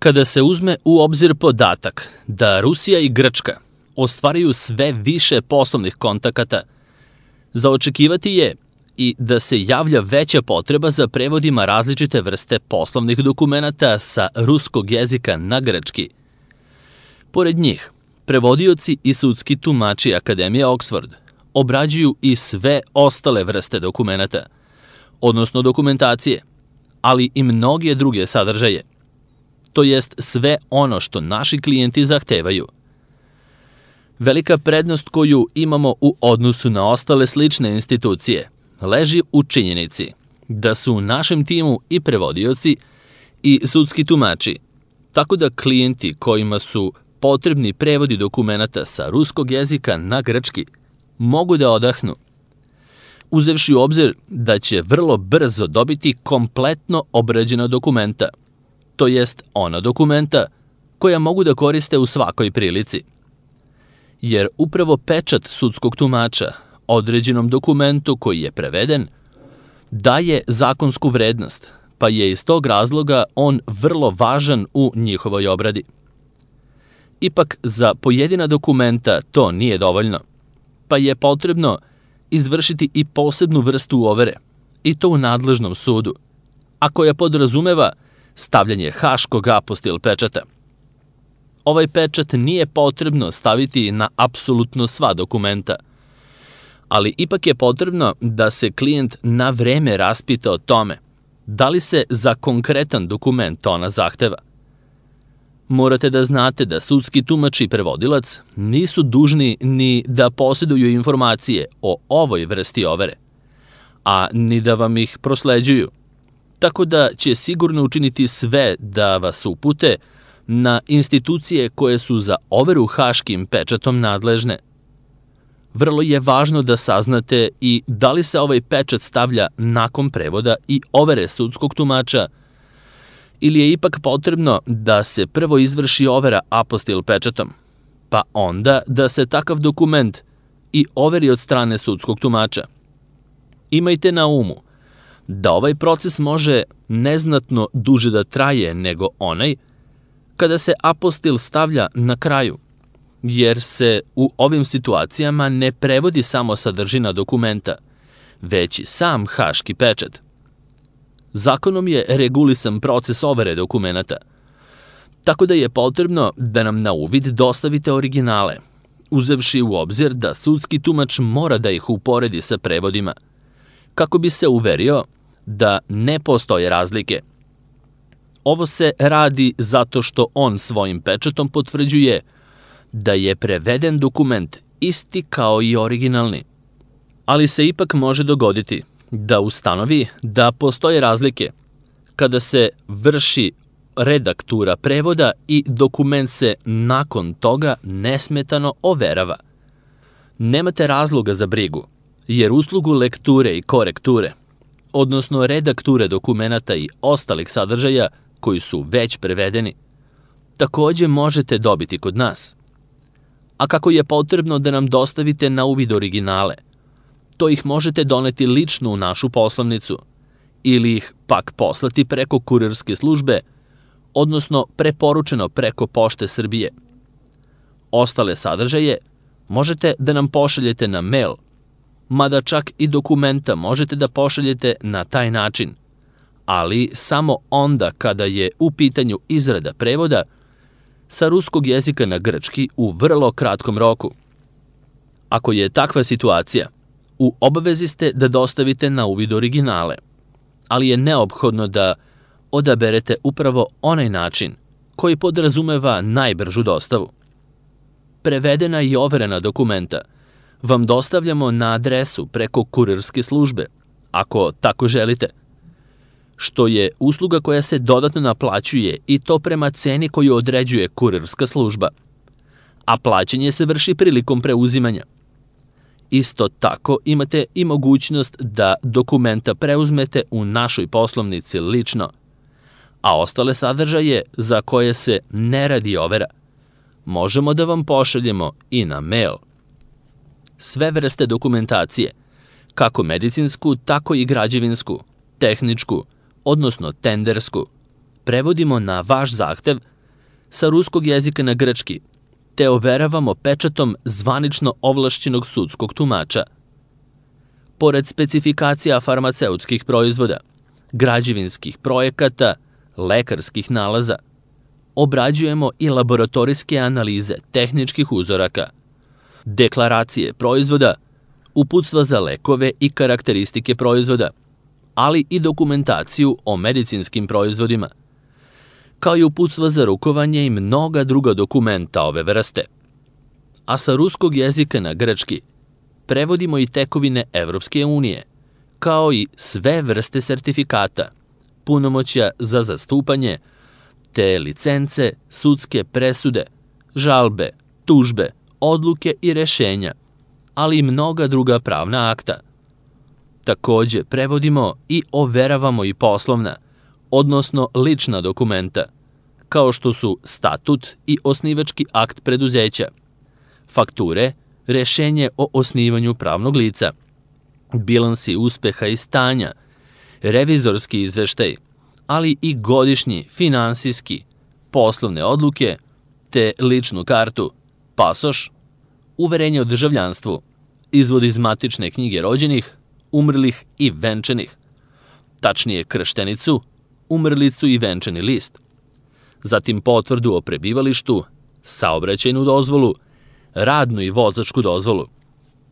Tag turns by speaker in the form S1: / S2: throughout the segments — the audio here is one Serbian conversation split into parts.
S1: Kada se uzme u obzir podatak da Rusija i Grčka ostvaruju sve više poslovnih kontakata, za očekivati je i da se javlja veća potreba za prevodima različite vrste poslovnih dokumenata sa ruskog jezika na grčki. Pored njih, prevodioci i sudski tumači Akademije Oxford obrađuju i sve ostale vrste dokumenata, odnosno dokumentacije, ali i mnoge druge sadržaje, to jest sve ono što naši klijenti zahtevaju. Velika prednost koju imamo u odnosu na ostale slične institucije leži u činjenici da su u našem timu i prevodioci i sudski tumači, tako da klijenti kojima su potrebni prevodi dokumenata sa ruskog jezika na grčki mogu da odahnu, uzevši u obzir da će vrlo brzo dobiti kompletno obrađena dokumenta, to jest ona dokumenta koja mogu da koriste u svakoj prilici. Jer upravo pečat sudskog tumača određenom dokumentu koji je preveden daje zakonsku vrednost, pa je iz tog razloga on vrlo važan u njihovoj obradi. Ipak, za pojedina dokumenta to nije dovoljno, pa je potrebno izvršiti i posebnu vrstu overe, i to u nadležnom sudu, a koja podrazumeva stavljanje haškog apostil pečata. Ovaj pečat nije potrebno staviti na apsolutno sva dokumenta, ali ipak je potrebno da se klijent na vreme raspita o tome da li se za konkretan dokument ona zahteva. Morate da znate da sudski tumač i prevodilac nisu dužni ni da posjeduju informacije o ovoj vrsti overe, a ni da vam ih prosleđuju, tako da će sigurno učiniti sve da vas upute na institucije koje su za overu haškim pečatom nadležne. Vrlo je važno da saznate i da li se ovaj pečat stavlja nakon prevoda i overe sudskog tumača, ili je ipak potrebno da se prvo izvrši overa apostil pečatom, pa onda da se takav dokument i overi od strane sudskog tumača. Imajte na umu da ovaj proces može neznatno duže da traje nego onaj kada se apostil stavlja na kraju, jer se u ovim situacijama ne prevodi samo sadržina dokumenta, već i sam haški pečat. Zakonom je regulisan proces overe dokumenata, tako da je potrebno da nam na uvid dostavite originale, uzevši u obzir da sudski tumač mora da ih uporedi sa prevodima, kako bi se uverio da ne postoje razlike. Ovo se radi zato što on svojim pečatom potvrđuje da je preveden dokument isti kao i originalni, ali se ipak može dogoditi da ustanovi da postoje razlike kada se vrši redaktura prevoda i dokument se nakon toga nesmetano overava. Nemate razloga za brigu, jer uslugu lekture i korekture, odnosno redakture dokumenata i ostalih sadržaja koji su već prevedeni, takođe možete dobiti kod nas. A kako je potrebno da nam dostavite na uvid originale, to ih možete doneti lično u našu poslovnicu ili ih pak poslati preko kurirske službe, odnosno preporučeno preko Pošte Srbije. Ostale sadržaje možete da nam pošaljete na mail, mada čak i dokumenta možete da pošaljete na taj način, ali samo onda kada je u pitanju izrada prevoda sa ruskog jezika na grčki u vrlo kratkom roku. Ako je takva situacija, u obavezi ste da dostavite na uvid originale, ali je neophodno da odaberete upravo onaj način koji podrazumeva najbržu dostavu. Prevedena i overena dokumenta vam dostavljamo na adresu preko kurirske službe, ako tako želite, što je usluga koja se dodatno naplaćuje i to prema ceni koju određuje kurirska služba, a plaćanje se vrši prilikom preuzimanja. Isto tako imate i mogućnost da dokumenta preuzmete u našoj poslovnici lično, a ostale sadržaje za koje se ne radi overa možemo da vam pošaljemo i na mail. Sve vrste dokumentacije, kako medicinsku, tako i građevinsku, tehničku, odnosno tendersku, prevodimo na vaš zahtev sa ruskog jezika na grčki, te overavamo pečatom zvanično ovlašćenog sudskog tumača. Pored specifikacija farmaceutskih proizvoda, građevinskih projekata, lekarskih nalaza, obrađujemo i laboratorijske analize tehničkih uzoraka, deklaracije proizvoda, uputstva za lekove i karakteristike proizvoda, ali i dokumentaciju o medicinskim proizvodima, kao i uputstva za rukovanje i mnoga druga dokumenta ove vrste. A sa ruskog jezika na grčki prevodimo i tekovine Evropske unije, kao i sve vrste sertifikata, punomoćja za zastupanje, te licence, sudske presude, žalbe, tužbe, odluke i rešenja, ali i mnoga druga pravna akta. Takođe, prevodimo i overavamo i poslovna, odnosno lična dokumenta, kao što su statut i osnivački akt preduzeća, fakture, rešenje o osnivanju pravnog lica, bilansi uspeha i stanja, revizorski izveštaj, ali i godišnji, finansijski, poslovne odluke, te ličnu kartu, pasoš, uverenje o državljanstvu, izvod iz matične knjige rođenih, umrlih i venčanih, tačnije krštenicu, umrlicu i venčani list, zatim potvrdu o prebivalištu, saobraćajnu dozvolu, radnu i vozačku dozvolu,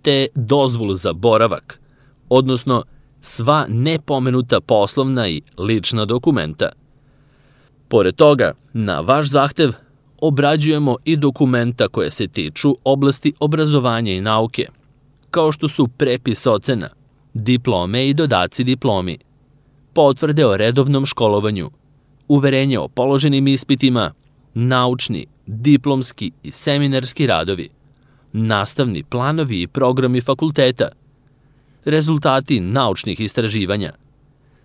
S1: te dozvolu za boravak, odnosno sva nepomenuta poslovna i lična dokumenta. Pored toga, na vaš zahtev obrađujemo i dokumenta koje se tiču oblasti obrazovanja i nauke, kao što su prepis ocena, diplome i dodaci diplomi, potvrde o redovnom školovanju, uverenje o položenim ispitima, naučni, diplomski i seminarski radovi, nastavni planovi i programi fakulteta, rezultati naučnih istraživanja,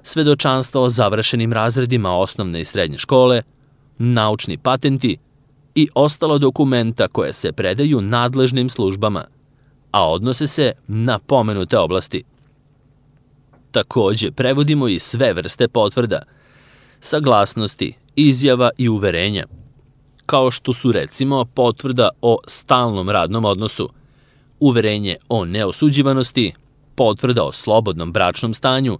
S1: svedočanstva o završenim razredima osnovne i srednje škole, naučni patenti i ostala dokumenta koje se predaju nadležnim službama, a odnose se na pomenute oblasti. Takođe, prevodimo i sve vrste potvrda, saglasnosti, izjava i uverenja, kao što su recimo potvrda o stalnom radnom odnosu, uverenje o neosuđivanosti, potvrda o slobodnom bračnom stanju,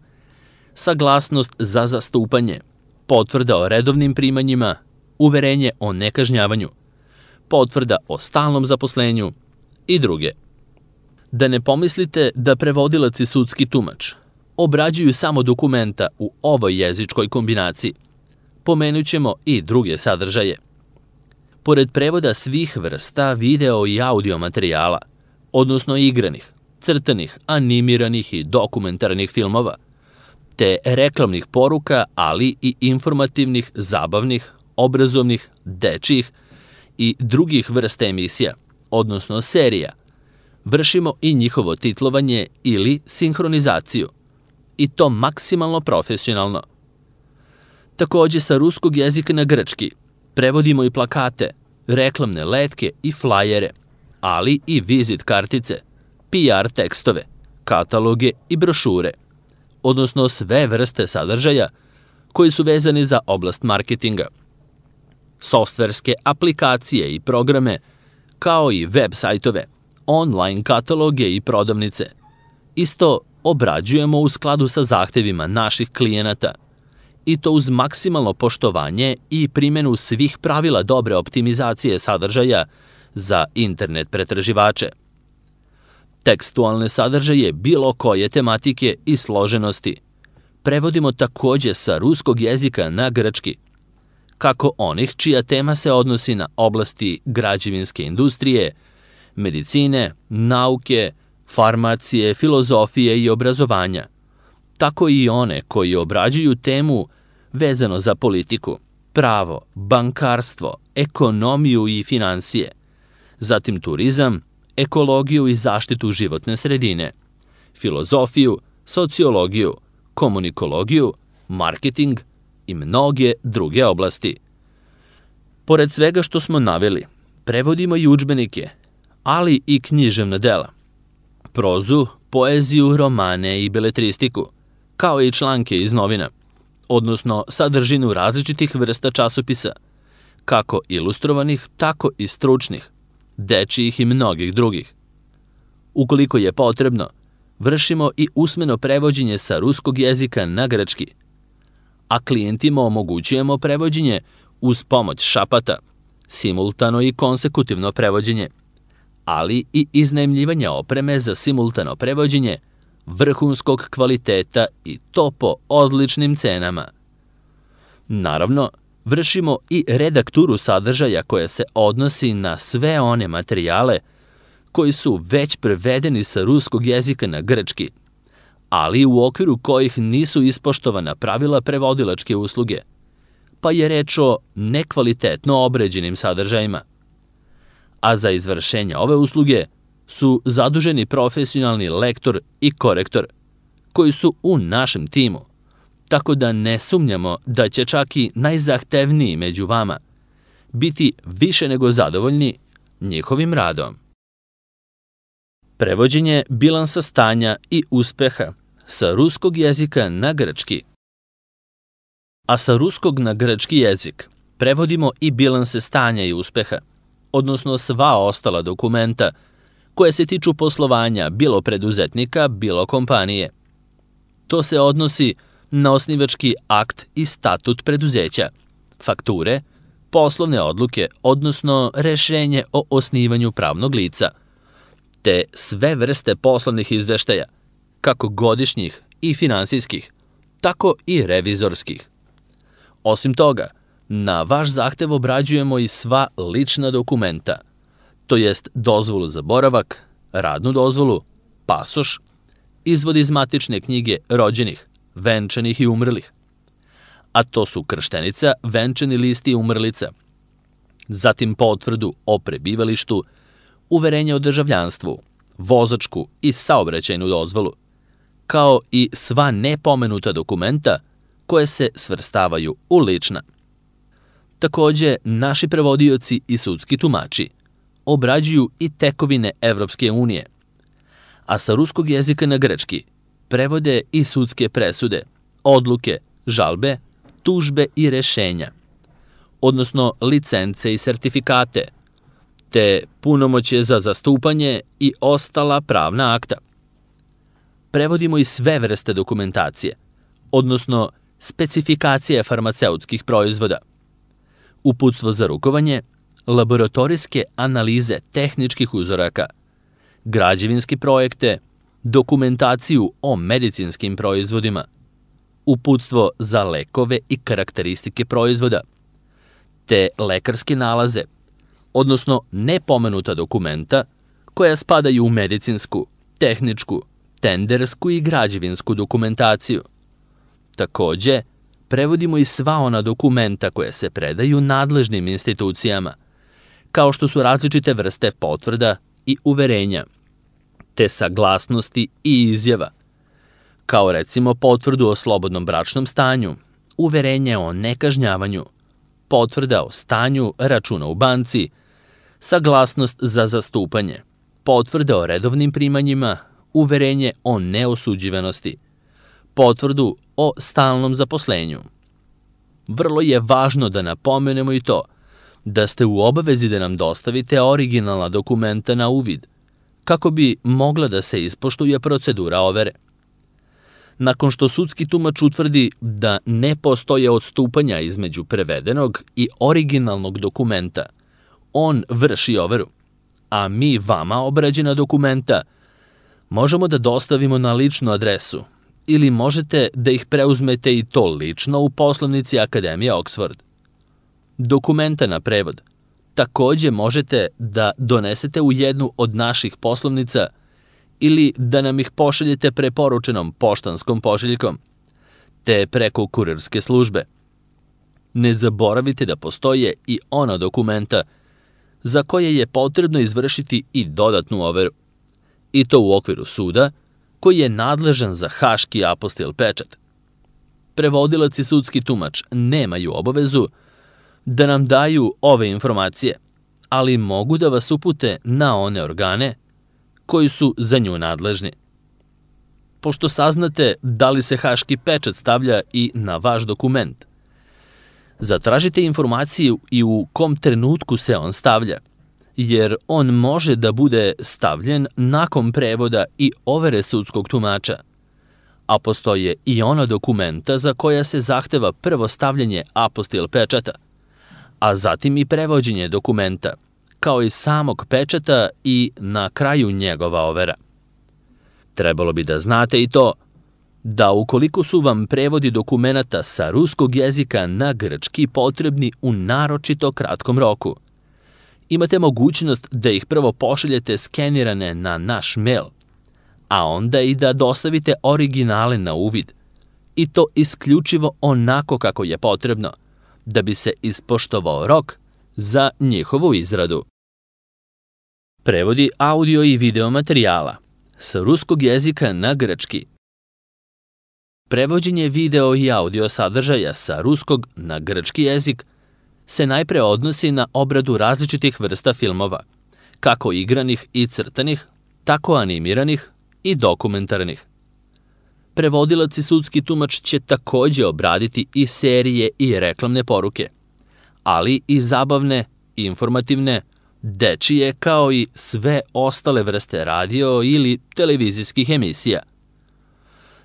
S1: saglasnost za zastupanje, potvrda o redovnim primanjima, uverenje o nekažnjavanju, potvrda o stalnom zaposlenju i druge. Da ne pomislite da prevodilac i sudski tumač obrađuju samo dokumenta u ovoj jezičkoj kombinaciji, pomenut ćemo i druge sadržaje. Pored prevoda svih vrsta video i audio materijala, odnosno igranih, crtanih, animiranih i dokumentarnih filmova, te reklamnih poruka, ali i informativnih, zabavnih, obrazovnih, dečjih i drugih vrsta emisija, odnosno serija, vršimo i njihovo titlovanje ili sinhronizaciju, i to maksimalno profesionalno. Takođe, sa ruskog jezika na grčki prevodimo i plakate, reklamne letke i flajere, ali i vizit kartice, PR tekstove, kataloge i brošure, odnosno sve vrste sadržaja koji su vezani za oblast marketinga, softverske aplikacije i programe, kao i web sajtove, online kataloge i prodavnice. Isto obrađujemo u skladu sa zahtevima naših klijenata, i to uz maksimalno poštovanje i primjenu svih pravila dobre optimizacije sadržaja za internet pretraživače. Tekstualne sadržaje bilo koje tematike i složenosti prevodimo takođe sa ruskog jezika na grčki, kako onih čija tema se odnosi na oblasti građevinske industrije, medicine, nauke, farmacije, filozofije i obrazovanja, tako i one koji obrađuju temu vezano za politiku, pravo, bankarstvo, ekonomiju i finansije, zatim turizam, ekologiju i zaštitu životne sredine, filozofiju, sociologiju, komunikologiju, marketing i mnoge druge oblasti. Pored svega što smo naveli, prevodimo i udžbenike, ali i književna dela, prozu, poeziju, romane i beletristiku, kao i članke iz novina, odnosno sadržinu različitih vrsta časopisa, kako ilustrovanih, tako i stručnih, dečijih i mnogih drugih. Ukoliko je potrebno, vršimo i usmeno prevođenje sa ruskog jezika na grčki, a klijentima omogućujemo prevođenje uz pomoć šapata, simultano i konsekutivno prevođenje, ali i iznajmljivanje opreme za simultano prevođenje vrhunskog kvaliteta i to po odličnim cenama. Naravno, vršimo i redakturu sadržaja koja se odnosi na sve one materijale koji su već prevedeni sa ruskog jezika na grčki, ali u okviru kojih nisu ispoštovana pravila prevodilačke usluge, pa je reč o nekvalitetno obrađenim sadržajima. A za izvršenje ove usluge su zaduženi profesionalni lektor i korektor, koji su u našem timu, tako da ne sumnjamo da će čak i najzahtevniji među vama biti više nego zadovoljni njihovim radom. Prevođenje bilansa stanja i uspeha sa ruskog jezika na grčki. A sa ruskog na grčki jezik prevodimo i bilanse stanja i uspeha, odnosno sva ostala dokumenta koje se tiču poslovanja bilo preduzetnika, bilo kompanije. To se odnosi na osnivački akt i statut preduzeća, fakture, poslovne odluke, odnosno rešenje o osnivanju pravnog lica, te sve vrste poslovnih izveštaja, kako godišnjih i finansijskih, tako i revizorskih. Osim toga, na vaš zahtev obrađujemo i sva lična dokumenta, to jest dozvolu za boravak, radnu dozvolu, pasoš, izvod iz matične knjige rođenih, venčanih i umrlih, a to su krštenica, venčani list i umrlica, zatim potvrdu o prebivalištu, uverenje o državljanstvu, vozačku i saobraćajnu dozvolu, kao i sva nepomenuta dokumenta koje se svrstavaju u lična. Takođe, naši prevodioci i sudski tumači obrađuju i tekovine Evropske unije, a sa ruskog jezika na grčki prevode i sudske presude, odluke, žalbe, tužbe i rešenja, odnosno licence i sertifikate, te punomoćje za zastupanje i ostala pravna akta. Prevodimo i sve vrste dokumentacije, odnosno specifikacije farmaceutskih proizvoda, uputstvo za rukovanje, laboratorijske analize tehničkih uzoraka, građevinske projekte, dokumentaciju o medicinskim proizvodima, uputstvo za lekove i karakteristike proizvoda, te lekarske nalaze, odnosno nepomenuta dokumenta koja spadaju u medicinsku, tehničku, tendersku i građevinsku dokumentaciju. Takođe, prevodimo i sva ona dokumenta koje se predaju nadležnim institucijama, kao što su različite vrste potvrda i uverenja, te saglasnosti i izjava, kao recimo potvrdu o slobodnom bračnom stanju, uverenje o nekažnjavanju, potvrda o stanju računa u banci, saglasnost za zastupanje, potvrda o redovnim primanjima, uverenje o neosuđivanosti, potvrdu o stalnom zaposlenju. Vrlo je važno da napomenemo i to da ste u obavezi da nam dostavite originalna dokumenta na uvid, kako bi mogla da se ispoštuje procedura overe. Nakon što sudski tumač utvrdi da ne postoje odstupanja između prevedenog i originalnog dokumenta, on vrši overu, a mi vama obrađena dokumenta možemo da dostavimo na ličnu adresu ili možete da ih preuzmete i to lično u poslovnici Akademije Oxford. Dokumenta na prevod takođe možete da donesete u jednu od naših poslovnica ili da nam ih pošaljete preporučenom poštanskom pošiljkom, te preko kurirske službe. Ne zaboravite da postoje i ona dokumenta za koje je potrebno izvršiti i dodatnu overu, i to u okviru suda koji je nadležan za haški apostil pečat. Prevodilac i sudski tumač nemaju obavezu da nam daju ove informacije, ali mogu da vas upute na one organe koji su za nju nadležni. Pošto saznate da li se haški pečat stavlja i na vaš dokument, Zatražite informaciju i u kom trenutku se on stavlja, jer on može da bude stavljen nakon prevoda i overe sudskog tumača, a postoje i ona dokumenta za koja se zahteva prvo stavljanje apostil pečata, a zatim i prevođenje dokumenta, kao i samog pečata i na kraju njegova overa. Trebalo bi da znate i to da ukoliko su vam prevodi dokumenata sa ruskog jezika na grčki potrebni u naročito kratkom roku, imate mogućnost da ih prvo pošaljete skenirane na naš mail, a onda i da dostavite originale na uvid, i to isključivo onako kako je potrebno, da bi se ispoštovao rok za njihovu izradu. Prevodi audio i video materijala sa ruskog jezika na grčki. Prevođenje video i audio sadržaja sa ruskog na grčki jezik se najpre odnosi na obradu različitih vrsta filmova, kako igranih i crtanih, tako animiranih i dokumentarnih. Prevodilac i sudski tumač će takođe obraditi i serije i reklamne poruke, ali i zabavne, informativne, dečije kao i sve ostale vrste radio ili televizijskih emisija.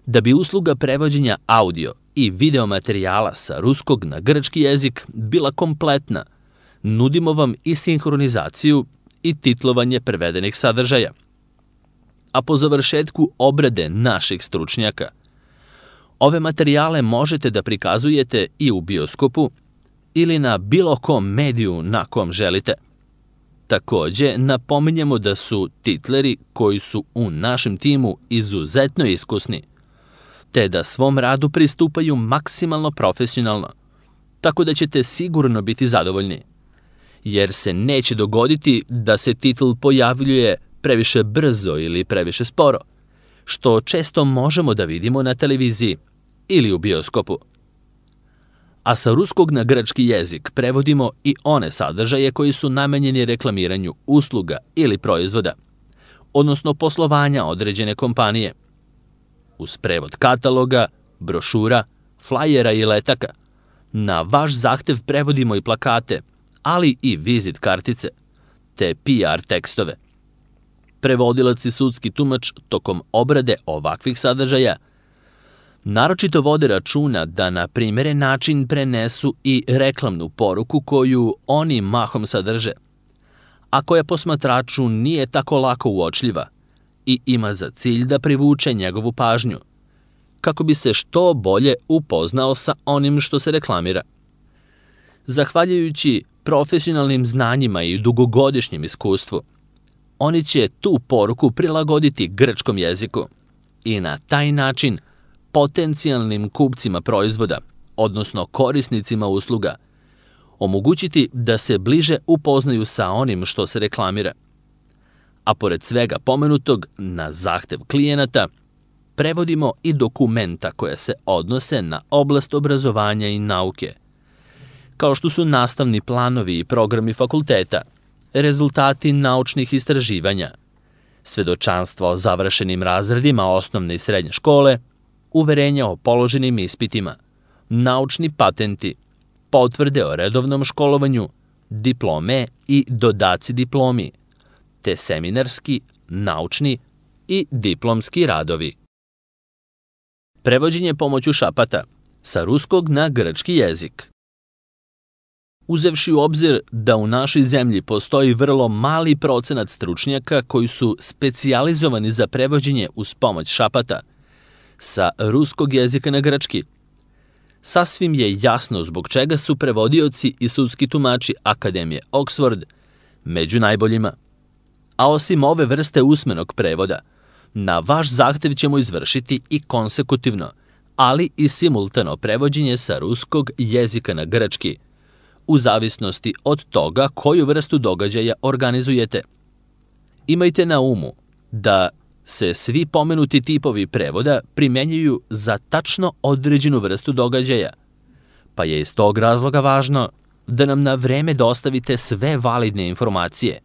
S1: Da bi usluga prevođenja audio i video materijala sa ruskog na grčki jezik bila kompletna, nudimo vam i sinhronizaciju i titlovanje prevedenih sadržaja. A po završetku obrade naših stručnjaka, ove materijale možete da prikazujete i u bioskopu ili na bilo kom mediju na kom želite. Takođe, napominjemo da su titleri koji su u našem timu izuzetno iskusni, te da svom radu pristupaju maksimalno profesionalno, tako da ćete sigurno biti zadovoljni, jer se neće dogoditi da se titl pojavljuje previše brzo ili previše sporo, što često možemo da vidimo na televiziji ili u bioskopu. A sa ruskog na grčki jezik prevodimo i one sadržaje koji su namenjeni reklamiranju usluga ili proizvoda, odnosno poslovanja određene kompanije. Uz prevod kataloga, brošura, flajera i letaka, na vaš zahtev prevodimo i plakate, ali i vizit kartice, te PR tekstove. Prevodilac i sudski tumač tokom obrade ovakvih sadržaja naročito vode računa da na primeren način prenesu i reklamnu poruku koju oni mahom sadrže, a koja posmatraču nije tako lako uočljiva i ima za cilj da privuče njegovu pažnju, kako bi se što bolje upoznao sa onim što se reklamira. Zahvaljujući profesionalnim znanjima i dugogodišnjem iskustvu, oni će tu poruku prilagoditi grčkom jeziku i na taj način potencijalnim kupcima proizvoda, odnosno korisnicima usluga, omogućiti da se bliže upoznaju sa onim što se reklamira. A pored svega pomenutog, na zahtev klijenata, prevodimo i dokumenta koje se odnose na oblast obrazovanja i nauke, kao što su nastavni planovi i programi fakulteta, rezultati naučnih istraživanja, svedočanstva o završenim razredima osnovne i srednje škole, uverenja o položenim ispitima, naučni patenti, potvrde o redovnom školovanju, diplome i dodaci diplomi, te seminarski, naučni i diplomski radovi. Prevođenje pomoću šapata sa ruskog na grčki jezik. Uzevši u obzir da u našoj zemlji postoji vrlo mali procenat stručnjaka koji su specijalizovani za prevođenje uz pomoć šapata sa ruskog jezika na grčki, sasvim je jasno zbog čega su prevodioci i sudski tumači Akademije Oxford među najboljima. A osim ove vrste usmenog prevoda, na vaš zahtev ćemo izvršiti i konsekutivno, ali i simultano prevođenje sa ruskog jezika na grčki, u zavisnosti od toga koju vrstu događaja organizujete. Imajte na umu da se svi pomenuti tipovi prevoda primenjuju za tačno određenu vrstu događaja, pa je iz tog razloga važno da nam na vreme dostavite sve validne informacije,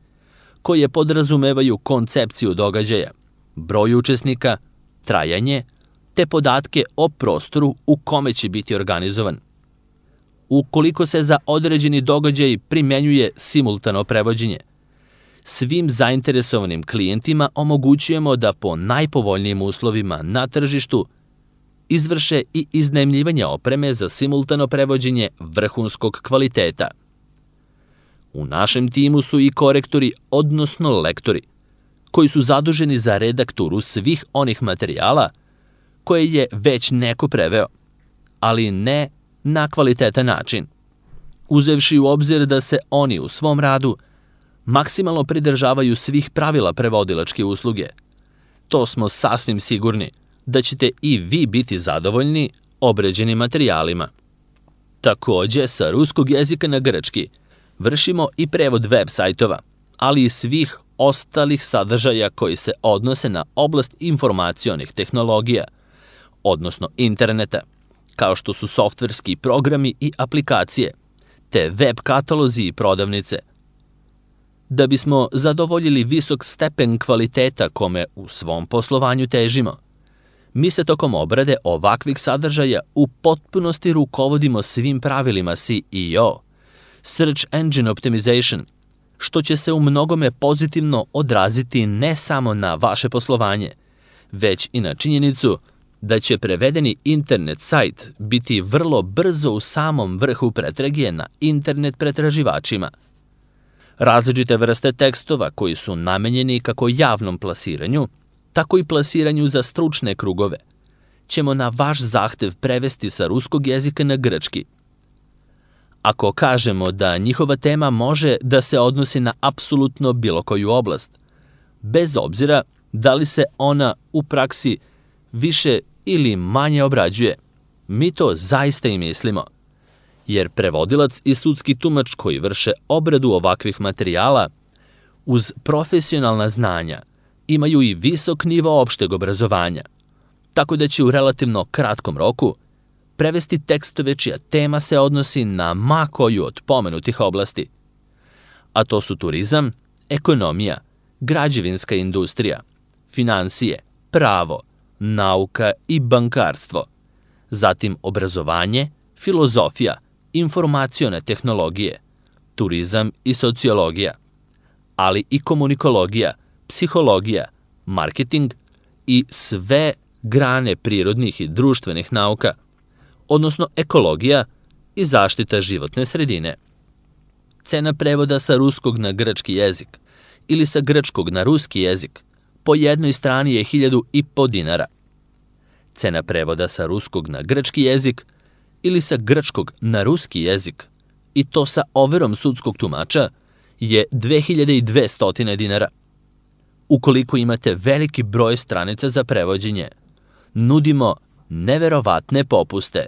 S1: koje podrazumevaju koncepciju događaja, broj učesnika, trajanje, te podatke o prostoru u kome će biti organizovan. ukoliko se za određeni događaj primenjuje simultano prevođenje. Svim zainteresovanim klijentima omogućujemo da po najpovoljnijim uslovima na tržištu izvrše i iznajmljivanje opreme za simultano prevođenje vrhunskog kvaliteta. U našem timu su i korektori, odnosno lektori, koji su zaduženi za redakturu svih onih materijala koje je već neko preveo, ali ne na kvalitetan način, uzevši u obzir da se oni u svom radu maksimalno pridržavaju svih pravila prevodilačke usluge. To smo sasvim sigurni da ćete i vi biti zadovoljni obrađenim materijalima. Takođe, sa ruskog jezika na grčki vršimo i prevod web sajtova, ali i svih ostalih sadržaja koji se odnose na oblast informacionih tehnologija, odnosno interneta, kao što su softverski programi i aplikacije, te web katalozi i prodavnice. Da bismo zadovoljili visok stepen kvaliteta kome u svom poslovanju težimo, mi se tokom obrade ovakvih sadržaja u potpunosti rukovodimo svim pravilima SEO, Search Engine Optimization, što će se u mnogome pozitivno odraziti ne samo na vaše poslovanje, već i na činjenicu da će prevedeni internet sajt biti vrlo brzo u samom vrhu pretrage na internet pretraživačima. Različite vrste tekstova koji su namenjeni kako javnom plasiranju, tako i plasiranju za stručne krugove, ćemo na vaš zahtev prevesti sa ruskog jezika na grčki. Ako kažemo da njihova tema može da se odnosi na apsolutno bilo koju oblast, bez obzira da li se ona u praksi više ili manje obrađuje, mi to zaista i mislimo, jer prevodilac i sudski tumač koji vrše obradu ovakvih materijala uz profesionalna znanja imaju i visok nivo opšteg obrazovanja, tako da će u relativno kratkom roku prevesti tekstove čija tema se odnosi na ma koju od pomenutih oblasti, a to su turizam, ekonomija, građevinska industrija, finansije, pravo, nauka i bankarstvo, zatim obrazovanje, filozofija, informacione tehnologije, turizam i sociologija, ali i komunikologija, psihologija, marketing i sve grane prirodnih i društvenih nauka, odnosno ekologija i zaštita životne sredine. Cena prevoda sa ruskog na grčki jezik ili sa grčkog na ruski jezik po jednoj strani je 1.500 dinara. Cena prevoda sa ruskog na grčki jezik ili sa grčkog na ruski jezik, i to sa overom sudskog tumača, je 2.200 dinara. Ukoliko imate veliki broj stranica za prevođenje, nudimo neverovatne popuste.